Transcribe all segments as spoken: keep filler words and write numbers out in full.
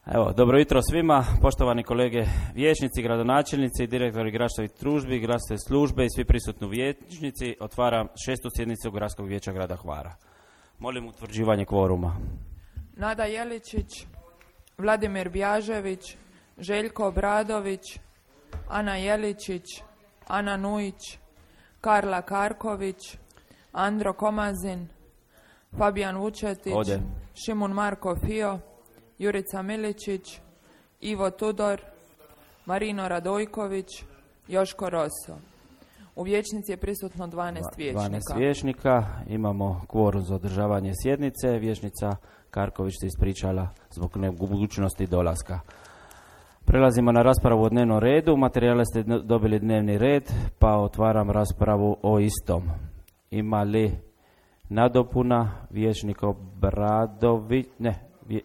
Evo, dobro jutro svima, poštovani kolege vijećnici, gradonačelnici, direktori gradskih tužbi, gradske službe i svi prisutni vijećnici. Otvaram šestu sjednicu Gradskog vijeća grada Hvara. Molim utvrđivanje kvoruma. Nada Jeličić, Vladimir Bjažević, Željko Obradović, Ana Jeličić, Ana Nujić, Karla Karković, Andro Komazin, Fabijan Vučetić, Ode. Šimun Marko Fio, Jurica Miličić, Ivo Tudor, Marino Radojković, Joško Roso. U vijećnici je prisutno dvanaest vijećnika. dvanaest vijećnika, imamo kvorum za održavanje sjednice. Vijećnica Karković se ispričala zbog nemogućnosti dolaska. Prelazimo na raspravu o dnevnom redu. Materijale ste dobili dnevni red, pa otvaram raspravu o istom. Ima li nadopuna? Vijećnik Obradović, ne, vje,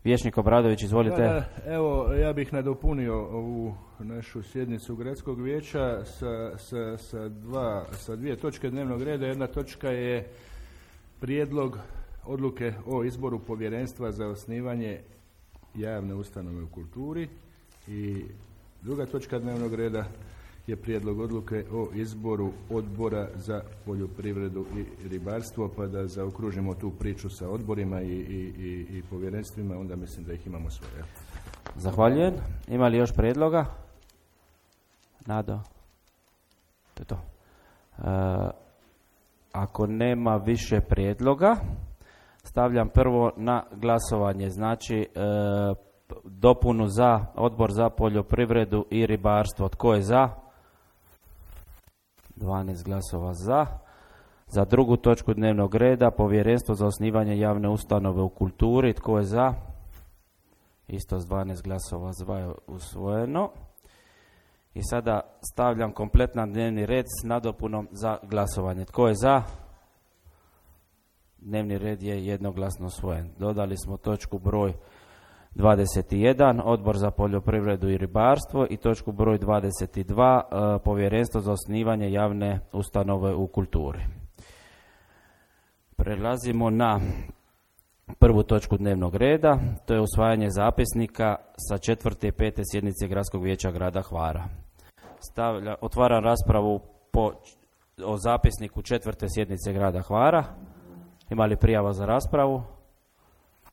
Vijećnik Obradović, izvolite. Da, da, evo, ja bih nadopunio ovu našu sjednicu Gradskog vijeća sa, sa, sa, dva, sa dvije točke dnevnog reda. Jedna točka je prijedlog odluke o izboru povjerenstva za osnivanje javne ustanove u kulturi i druga točka dnevnog reda je prijedlog odluke o izboru odbora za poljoprivredu i ribarstvo, pa da zaokružimo tu priču sa odborima i, i, i, i povjerenstvima, onda mislim da ih imamo svoje. Zahvaljujem. Ima li još prijedloga? Nado? To je to. E, ako nema više prijedloga, stavljam prvo na glasovanje. Znači, e, dopunu za odbor za poljoprivredu i ribarstvo. Tko je za? dvanaest glasova za. Za drugu točku dnevnog reda, povjerenstvo za osnivanje javne ustanove u kulturi. Tko je za? Isto s dvanaest glasova za je usvojeno. I sada stavljam kompletan dnevni red s nadopunom za glasovanje. Tko je za? Dnevni red je jednoglasno usvojen. Dodali smo točku broj dvadeset jedan, odbor za poljoprivredu i ribarstvo, i točku broj dvadeset dva, povjerenstvo za osnivanje javne ustanove u kulturi. Prelazimo na prvu točku dnevnog reda, to je usvajanje zapisnika sa četvrte i pete sjednice Gradskog vijeća grada Hvara. Stavlja, otvaram raspravu po, o zapisniku četvrte sjednice grada Hvara. Ima li prijava za raspravu?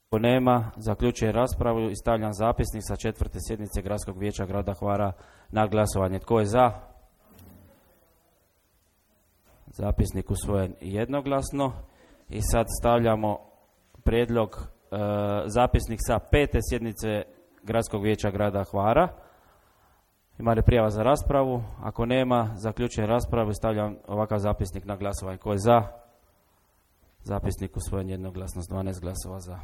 Ako nema, zaključujem raspravu i stavljam zapisnik sa četvrte sjednice Gradskog vijeća grada Hvara na glasovanje. Tko je za? Zapisnik usvojen jednoglasno. I sad stavljamo prijedlog e, zapisnik sa pete sjednice Gradskog vijeća grada Hvara. Ima li prijava za raspravu? Ako nema, zaključujem raspravu i stavljam ovakav zapisnik na glasovanje. Tko je za? Zapisnik usvojen jednoglasno s dvanaest glasova za.